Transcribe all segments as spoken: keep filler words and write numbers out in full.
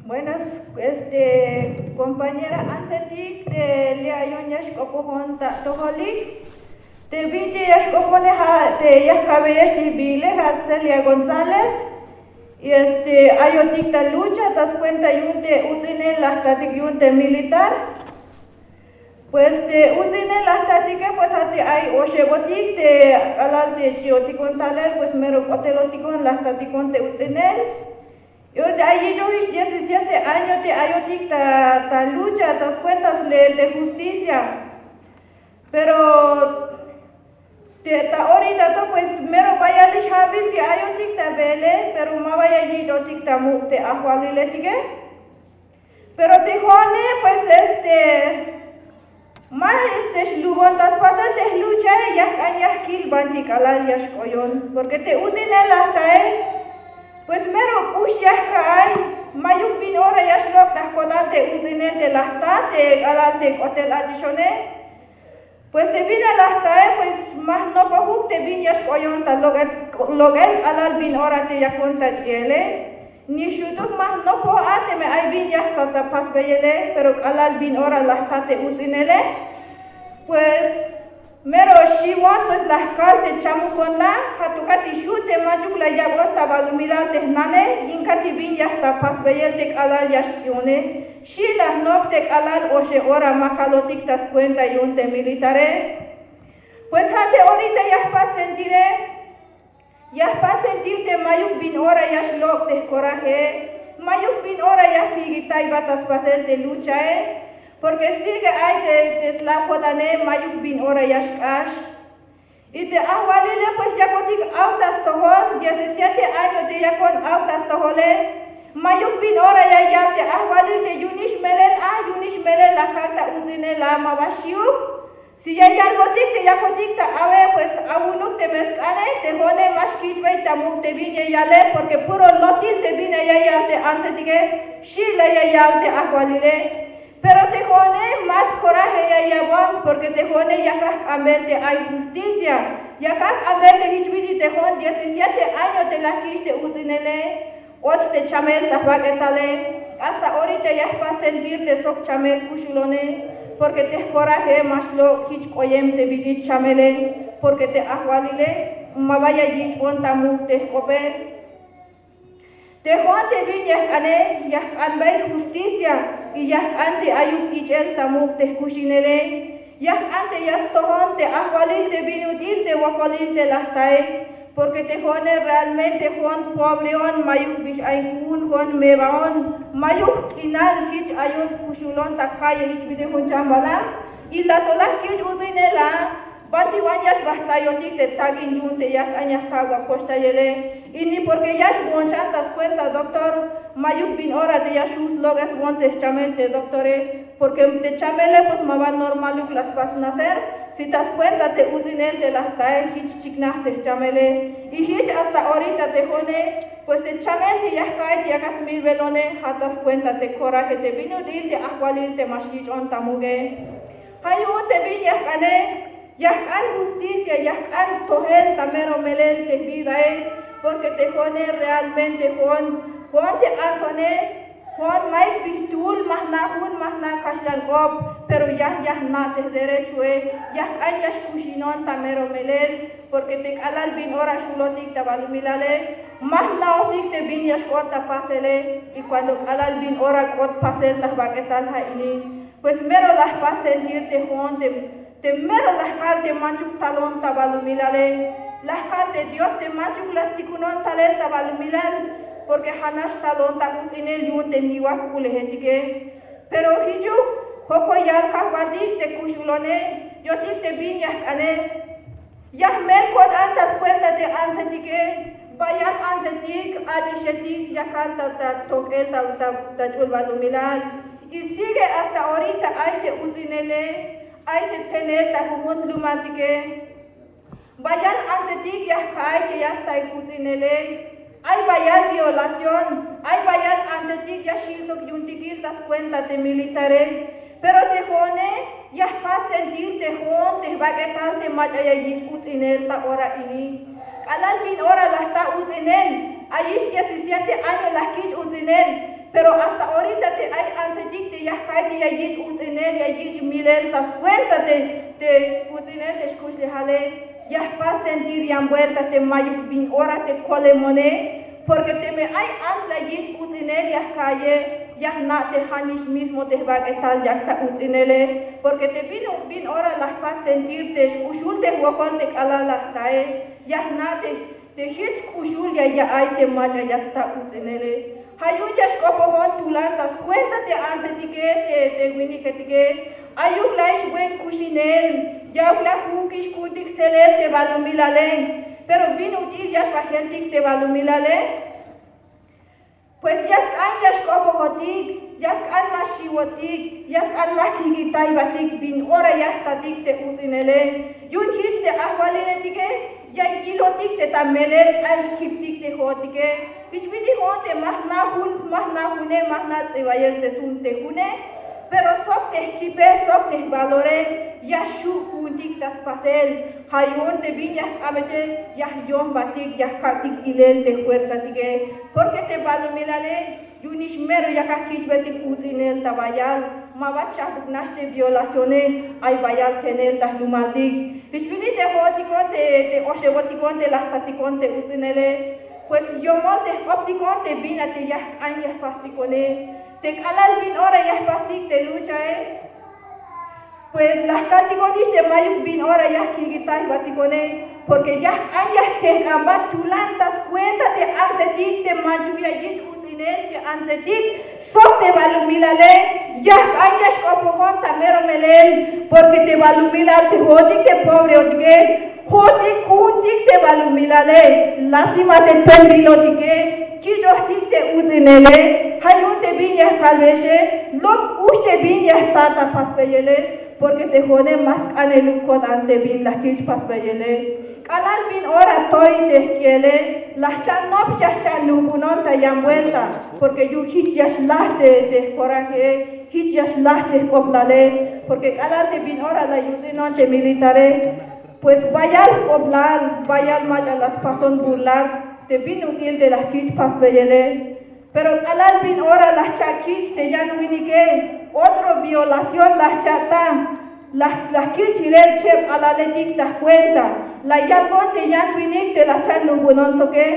Bueno, este, compañera, antsetik te li' ayon ya xk'opojon ta atojolik. Te bin te ya xk'opone ja' te ya jkabeyex te jbiile ja' Celia González. Y este, ayotik ta lucha ta skuenta yu'un te uts'inel la jtatik yu'un te militar. Pues te uts'inel la jtatike, pues ja' te ay oxebotik te k'alal te ch'i'otikon talel, pues mero k'otelotikon la jtatikon te uts'inel. Y ora te ay yich'ojix diecisiete año te ayotik ta, ta lucha ta skuenta te justicia. Pero te ta orita to, pues mero bayalix ja'bil te ayotik ta beele, pero ma ba ya yich'otik ta muk' te ajwaliletike. Pero te jo'one, pues este, ma este xlubon ta spasel te jluchae, ya jk'an ya jkil banti k'alal ya xk'oyon, porque te uts'inel la jtae, pues mero k'ux ya jka'ay. Mayuk bin ora ya xlok' ta jko'tan te uts'inel te la jta te k'alal te k'otel ach'ixone. Pues te bin a la jtae, pues ma jnopojuk te bin ya xk'oyon ta lok'el, lok'el k'alal bin ora te yakon ta ch'iele. Nix yu'un ma jnopoj a teme ay bin ya jta ta pasbeyele, pero k'alal bin ora la jta te uts'inele, pues mero xiwon, pues la jkal te chamukon la, ja' to ka'ti xju' te machuk la yak'on ta balumilal te jnane, in ka'ti bin ya jta pasbeyel te k'alal ya xch'ione. Xi' la jnop te k'alal oxe ora ma kalotik ta skuenta yu'un te militare. Pues ja' te orita ya jpas sentire, ya jpas sentir te mayuk bin ora ya xlok' te jkoraje, mayuk bin ora ya jkikitaybat ta spasel te luchae, porque sigue ay te, te slab ko'tane, mayuk bin ora ya xk'ax. Y te ajwalile, pues yakotik aw ta stojol, diecisiete año te yakon aw ta stojole, mayuk bin ora ya yal te ajwalil te yu'unix melel a, yu'unix melel la jal ta uts'inel a, ma ba xi'uk. Si ya yalbotik te yakotik ta awe, pues awunuk teme sk'ane, te jo'one ma xkich'bey ta muk' te bin ya yale, porque puro lotil te bin ya yal te antsetike, xi' la ya yal te ajwalile. Pero te jo'one más coraje ya yabon, porque te jo'one yakal jk'ambey te ay justicia, yakal jk'ambey te jich bit'il te jo'on diecisiete año te la jkich' te uts'inele. Och te chamel ta jbak'etale, hasta orita ya jpas sentir te sok chamel kuxulone, porque te jcoraje ma xlok' jich k'oyem te bit'il chamele, porque te ajwalile ma ba ya yich'bon ta muk' te jk'ope. Te jo'on te bin ya jk'ane, ya jk'anbey justicia, y ya jk'an te ayuk ich'el ta muk' te jkuxinele, ya jk'an te ya stojon te ajwalil te bin ut'il te wokolil te la jtae. Porque te jo'one realmente jo'on pobreon, mayuk bix ay ku'un, jo'on mebaon, mayuk k'inal jich ayon kuxulon ta calle jich bit'il jun chambala. Y la to la jkich' uts'inel a, banti wan ya xbajtayotik te tak'in yu'un te ya jk'an ya jka'b apoxtayele. Y ni porque ya xbonchan ta skuenta doctor, mayuk bin ora te ya xju' slok'esbon te jchamel te doctore. Porque te chamele pues ma ba normaluk la spas nacer, si ta skuenta te uts'inel te la jtae jich chiknaj te jchamele. Y jich hasta orita te jo'one, pues te chamel te ya jka'ay te yakal smilbelone, ja' ta skuenta te coraje te bin ut'il te ajwalil te ma xyich'on ta muk'e. Ja' yu'un te bin ya jk'ane, ya jk'an justicia, ya jk'an tojel ta mero melel te jbidae, porque te jo'one realmente jo'on, jo'on te k'axone, jo'on mayuk bi jtul, ma jna' jun, ma jna' kaxlan k'op, pero ya, ya jna' te jderechoe, ya jk'an ya xkuxinon ta mero melel, porque te k'alal bin ora xulotik ta balumilale, ma jna'ojtik te bin ya xk'ot ta pasele, y cuando k'alal bin ora k'ot pasel ta jbak'etal ja' ini. Pues mero la jpas sentir te jo'on te, te mero la jkal te manchuk talon ta balumilale. La jkal te Dios te manchuk la stikunon talel ta balumilal, porque ja'nax talon ta uts'inel yu'un te niwal jk'ulejetike. Pero jichuk, jokol yal Kajwaltik te kuxulone, yotik te bin ya jk'ane. Ya jmel ko'tan ta skuenta te antsetike, bayal antsetik, ach'ixetik, yakal ta, ta tok'el ta, ta, ta ch'ul balumilal. Y sigue hasta orita ay te uts'inele, ay te tsenel ta jujun jlumaltike. Bayal antsetik ya jka'ay te ya staik uts'inele. Ay bayal violación, ay bayal antsetik ya xi' sok yu'untikil ta skuenta te militare. Pero te jo'one, ya jpas sentir te jo'on te jbak'etal te mach'a ya yich' uts'inel ta ora ini. K'alal bin ora la jta uts'inel, ayix diecisiete año la jkich' uts'inel. Pero hasta orita te ay antsetik te ya jka'ay te ya yich' uts'inel, ya yich' milel ta swenta te, te uts'inel te xkuxlejale, ya jpas sentir yan buelta te mayuk bin ora te kolemone, porque teme ay ants la yich' uts'inel ya jka'aye, ya jna' te ja' nix mismo te jbak'etal yak ta uts'inele, porque te bin, bin ora la jpas sentir te xk'uxul te jwokol te k'alal la jtae, ya jna' te te jich k'uxul ya ya'ay te mach'a ya sta uts'inele. Ja' yu'un ya xk'opojon tulan ta swenta te antsetike, te, te winiketike. Ayuk la ix buen kuxinel, ya, ya jujunix ku'untik selel te balumilale. Pero bin ut'il ya xbajeltik te balumilale. Pues ya sk'an ya xk'opojotik, ya sk'an ma xiwotik, ya sk'an ma jkikitaybatik bin ora ya jtatik te uts'inele. Yu'un jich te ajwalinetike ya yilotik te ta melel ay jkiptik te jo'otike. Jich bit'il jo'on te ma jna' jun, ma jna' june, ma jna' ts'ibayel te jun te june. Pero sok te jkipe, sok te jvalore ya xju' ku'untik ta spasel. Ja' yu'un te bin ya jk'abeche ya jyombatik, ya jka'tik ilel te jfuerzatike. Porque te balumilale yu'un nix mero ya kakich'betik uts'inel ta bayal. Ma ba chajbuk nax te violacione, ay bayal kenel ta jlumaltik. Jich bit'il te jo'otikon te, te oxebotikon te la jtatikon te uts'inele. Pues yomol te jk'optikon te bin a te ya jk'an ya jpastikone. Te k'alal bin ora ya jpastik te luchae. Pues la jka'tikon ix te mayuk bin ora ya jkikitaybatikone, porque ya jk'an ya jkejk'anbat tulan ta swenta te antsetik te manchuk ya yich' uts'inel te antsetik sok te balumilale. Ya jk'an ya xk'opojon ta mero melel, porque te balumilal te jo'otik te pobreotike, jo'otik ku'untik te balumilale, lástima te tembelotike, kich'ojtik te uts'inele. Ja' yu'un te bin ya jkalbexe, lok k'ux te bin ya jta ta pasbeyele, porque te jo'one ma sk'aneluk ko'tan te bin la jkich' pasbeyele. K'alal bin ora toy te jch'iele, la jcha'nop ya xcha'nubunon ta yan buelta, porque yu'un jich ya xlaj te, te jkorajee, jich ya xlaj te jk'oblale, porque k'alal te bin ora la yuts'inon te militare, pues bayal jk'oblal, bayal mach'a la spason burlar te bin ut'il te la jkich' pasbeyele. Pero k'alal bin ora la jcha' kich' te yan winike, otro violación la jcha' ta, la, la jkich' ilel cheb alaletik ta jcuenta, la yalbon te yan winik te la jcha' nubunon soke.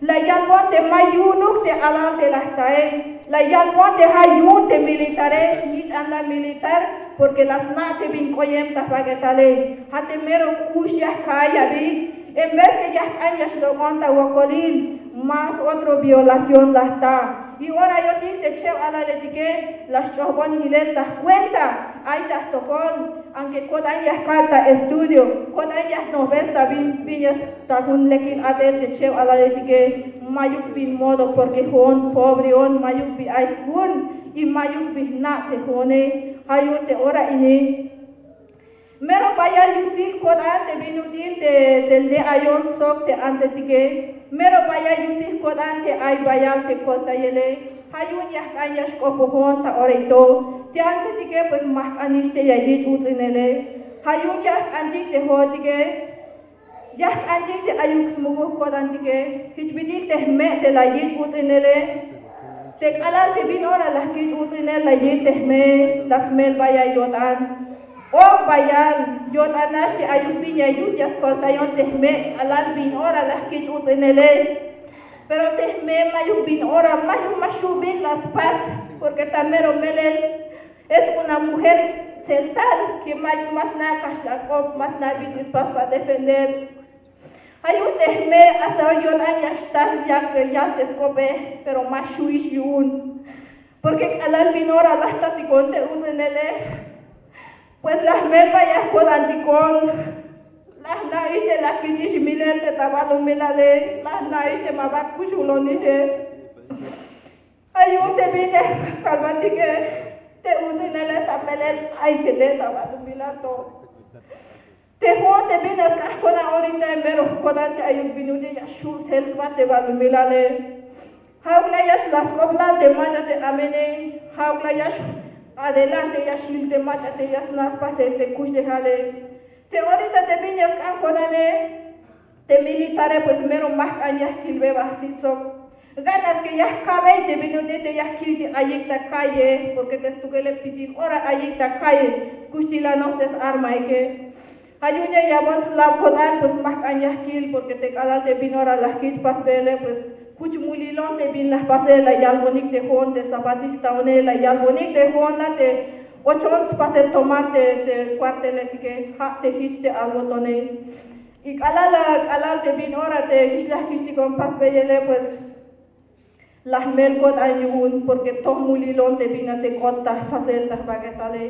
La yalbon te ma yu'unuk te alal te la jtae. La yalbon te ja' yu'un te militare, yich'an la militar, porque la sna' te bin k'oyem ta jbak'etale. Ja' te mero k'ux ya jka'ay abi. En vez de ya jk'an ya xlok'on ta wokolil, más otro violación la jta. Y ora yotik te cheb alaletike la xch'ojbon yilel ta jcuenta, ay ta jtojol, aunque ko'tan ya jka' ta estudio, ko'tan ya jnojbel ta bin, bin ya ta jun lekil a'tel te cheb alaletike, mayuk bin modo, porque jo'on pobreon, mayuk bi ay jun, y mayuk bi jna' te jo'one. Ja' yu'un te ora ini mero bayal yutsil ko'tan te bin ut'il te, te le'ayon sok te antsetike, mero bayal yutsil ko'tan te ay bayal te koltayele. Ja' yu'un ya jk'an ya xk'opojon ta ora ito, te antsetike pues ma jk'anix te ya yich' uts'inele. Ja' yu'un ya jk'antik te jo'otike, ya jk'antik te ayuk smuk'ul ko'tantike, jich bit'il te jme' te la yich' uts'inele. Te k'alal te bin ora la jkich' uts'inel la yil te jme', la smel bayal yo'tan. O bayal yo'tan nax te ayuk bin ya yut ya skoltayon te jme' k'alal bin ora la jkich' uts'inele. Pero te jme' mayuk bin ora, mayuk ma xju' bin la spas, porque ta mero melel es una mujer tzeltal que mayuk ma sna' kaxlan k'op, ma sna' bit'il spas pa defender. Ja' yu'un te jme' hasta yo'tan ya xtal yak te, yak te sk'ope, pero ma xju' ix yu'un. Porque k'alal bin ora la jtatikon te uts'inele, pues la jmel bayal ko'tantikon. La jna' ix te la jkich' ix milel te ta balumilale, la jna' ix te ma ba kuxulon ixe. Ja' yu'un te bin ya kalbatike te uts'inele ta melel ay kele ta balumilal to. Te jo'on te bin ya sk'an ko'tan orita mero ko'tan te ayuk bin ut'il ya xju' sel sba te balumilale. Ja'uk la ya xlaj sk'oplal te mach'a te amene. Ja'uk la ya x-adelante ya xjil te mach'a te ya sna' spasel te kuxlejale. Te orita te bin ya sk'an ko'tane, te militare pues mero ma jk'an ya jkilbe ba jsit sok. Ganas que ya jka'bey te bin ut'il te ya jkiltik ayik ta calle, porque te stukel spisil ora ayik ta calle kuxtilanoj te s-armaike. Ja' yu'un ya yabon slab ko'tan, pues ma jk'an ya jkil, porque te k'alal te bin ora la jkich' pasbele, pues kuch mulilon te bin la jpase, la yalbonik te jo'on te zapatistaone, la yalbonik te jo'on la te ochon spasel tomar te, te cuarteletike, ja' te jich te albo'tone. Y k'alal, k'alal te bin ora te jich la jkich'tikon pasbeyele, pues la jmel ko'tan yu'un, porque toj mulilon te bin a te k'ot ta jpasel ta jbak'etale.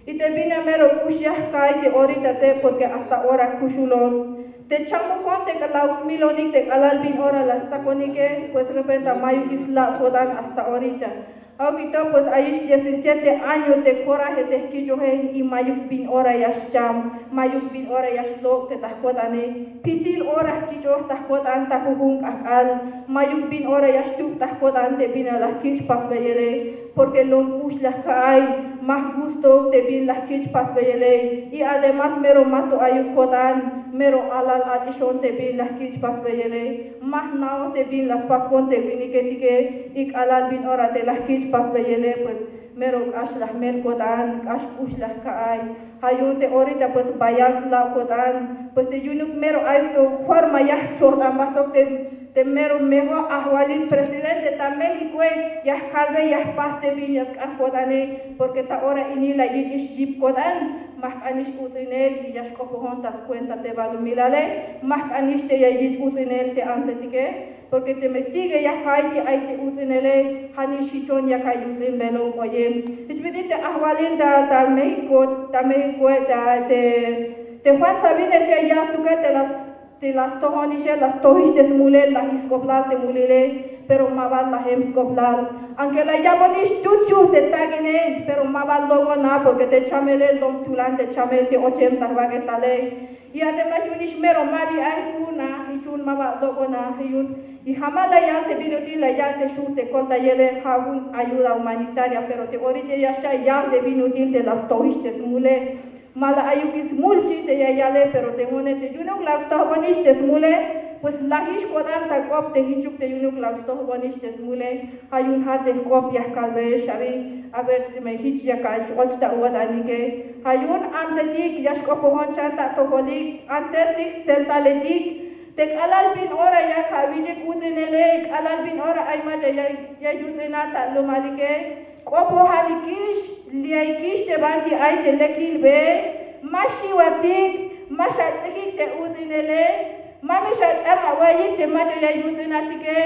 Y te bin a mero k'ux ya jka'iy te orita te, porque hasta ora kuxulon. Te chamukon te k'alal smilonik te k'alal bin ora la stakonike, pues repente ma'yukix slab ko'tan hasta orita. Awkito, pues ayix diecisiete año te coraje te jkich'oje, y ma'yuk bin ora ya xcham, ma'yuk bin ora ya xlok' te ta jko'tane. Spisil ora jkich'oj ta jko'tan ta jujun k'ajk'al, ma'yuk bin ora ya xtuk' ta jko'tan te bin a la jkich' pasbeyele, porque lom k'ux la jka'iy, ma jgusto te bin la jkich' pasbeyele. Y además mero ma to ayuk ko'tan, mero alal ach'ixon te bin la jkich' pasbeyele, ma jna'oj te bin la spasbon te winiketike. Y k'alal bin ora te la jkich' pasbeyele, pues mero k'ax la jmel ko'tan, k'ax k'ux la jka'iy. Ja' yu'un te orita pues bayal slab ko'tan, pues te yu'unuk mero ay to forma ya jchojt'anbaj sok te, te mero mejor ajwalil presidente ta Méxicoe ya jkalbey ya jpas te bin ya sk'an ko'tane, porque ta ora ini la yich'ix yip ko'tan, ma jk'anix uts'inel y ya xk'opojon ta skuenta te balumilale, ma jk'anix te ya yich' uts'inel te antsetike. Porque teme sigue ya jka'iy te ay te uts'inele, ja' nix jichon ya ka'y yuts'inbelon k'oyem. Jich bit'il te ajwalil ta, ta México, ta Méxicoe, ta te, te Juan Sabines ya, ya stukel te la, te la stojonixe, la stojix te smule, la jich sk'oplal te mulile, pero ma ba lajem sk'oplal. Aunque la yabonix tut xu' te tak'ine, pero ma ba lok'on a, porque te chamele lom tulan te chamel te ochem ta jbak'etale. Y además yu'unix mero ma bi ay jun a, jich yu'un ma ba lok'on a, jich yu'un. Y jamal la yal te bin ut'il la yal te xu' te koltayele, ja' jun ayuda humanitaria, pero te orita ya xcha' yal te bin ut'il te la stojix te smule. Ma la ayukix smul xchi te ya yale, pero te jo'one te yu'unuk la stojbonix te smule, pues lajix ko'tan ta k'op te jichuk te yu'unuk la stojbonix te smule. Ja' yu'un ja' te jk'op ya jkalbeyex abi. A ver, teme jich ya ka'y x-och ta awo'tanike. Ja' yu'un antsetik ya xk'opojon xan ta atojolik, antsetik tseltaletik. Te k'alal bin ora ya kawich'ik uts'inele, k'alal bin ora ay mach'a ya, ya yuts'inat ta lumalike. K'opojanikix, li'aykix te banti ay te lekilbe. Ma xiwatik, ma xats'ijik te uts'inele. Ma me xach'am awa'iyik te mach'a ya yuts'inatike.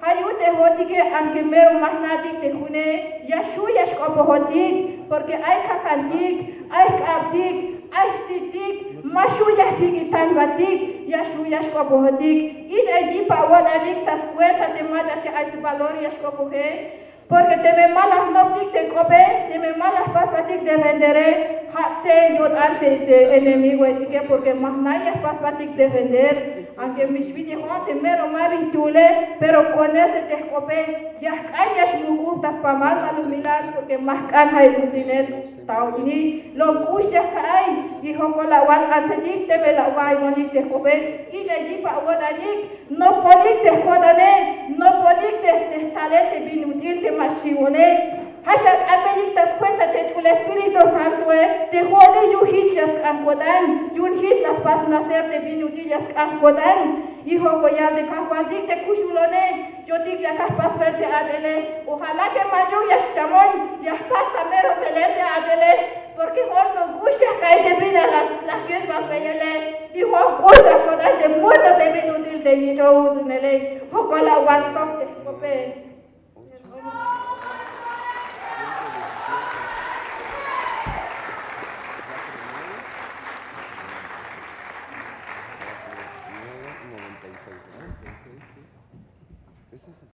Ja' yu'un te jo'otike, aunque mero ma jna'tik te june, ya xju' ya xk'opojotik, porque ay kakantik, ay jk'abtik, ay jsitik, ma xju' ya jtik itanbatik, ya xju' ya xk'opojotik. Ich'a yip awo'tanik ta skuenta te mach'a te ay svalor ya xk'opoje. Porque teme ma la jnoptik te k'ope, teme ma la jpasbatik defendere, ja' tse yo'tan te, te enemigoetike, porque ma jna' ya jpasbatik defender. Aunque mix bin ya jo'on te mero ma bin jtuule, pero con ese te jk'ope ya jk'an ya xmuk'ub ta spamal balumilal, porque ma jk'an ja' yuts'inel ta ini. Lom k'ux ya jka'iy, y jokol awal antsetik teme la awa'aybonik te jk'ope. Ich'a yip awo'tanik, noponik te jko'tane, noponik te, te jtalel te bin ut'il te ma xiwone. Ja' xak'anbeyik ta skuenta te ch'ul Espíritu Santoe, te jo'one yu'un jich ya sk'an ko'tan, yu'un jich la spas nacer te bin ut'il ya sk'an ko'tan. Y jokol ya yal te Kajwaltik te kuxulone, yo'tik ya kajpasbel te a'tele. Ojalá que mach'a ya xchamon, ya jpas ta mero melel te a'tele. Porque jo'on lom k'ux ya jka'iy te bin a la, la jkil pasbeyele. Y jo'on k'ux ya jko'tan te muerto te bin ut'il te yich'oj uts'inele. Jokol awal sok te jk'ope.